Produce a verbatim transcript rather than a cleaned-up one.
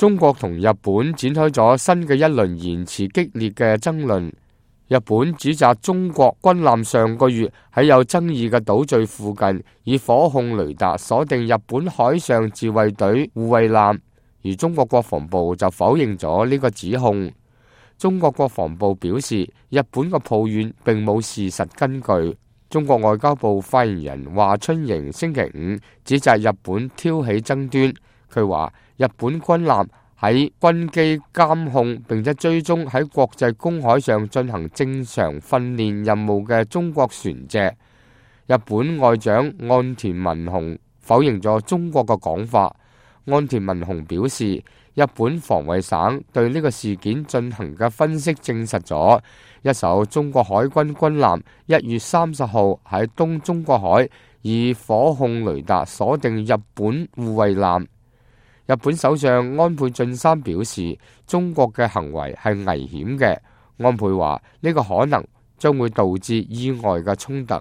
中國同日本展開咗新嘅一輪言辭激烈嘅爭論。日本指責中國軍艦上個月喺有爭議嘅島嶼附近以火控雷達鎖定日本海上自衛隊護衛艦，而中國國防部就否認咗呢個指控。中國國防部表示，日本嘅抱怨並冇事實根據。中國外交部發言人華春瑩星期五指責日本挑起爭端，佢話日本軍艦喺軍機監控並且追蹤喺國際公海上進行正常訓練任務嘅中國船隻。日本外長岸田文雄否認咗中國嘅講法。岸田文雄表示，日本防衛省對呢個事件進行嘅分析證實咗，一艘中國海軍軍艦一月三十號喺東中國海以火控雷達鎖定日本護衛艦。日本首相安倍晉三表示，中國嘅行為係危險嘅。安倍話呢個可能將會導致意外嘅衝突。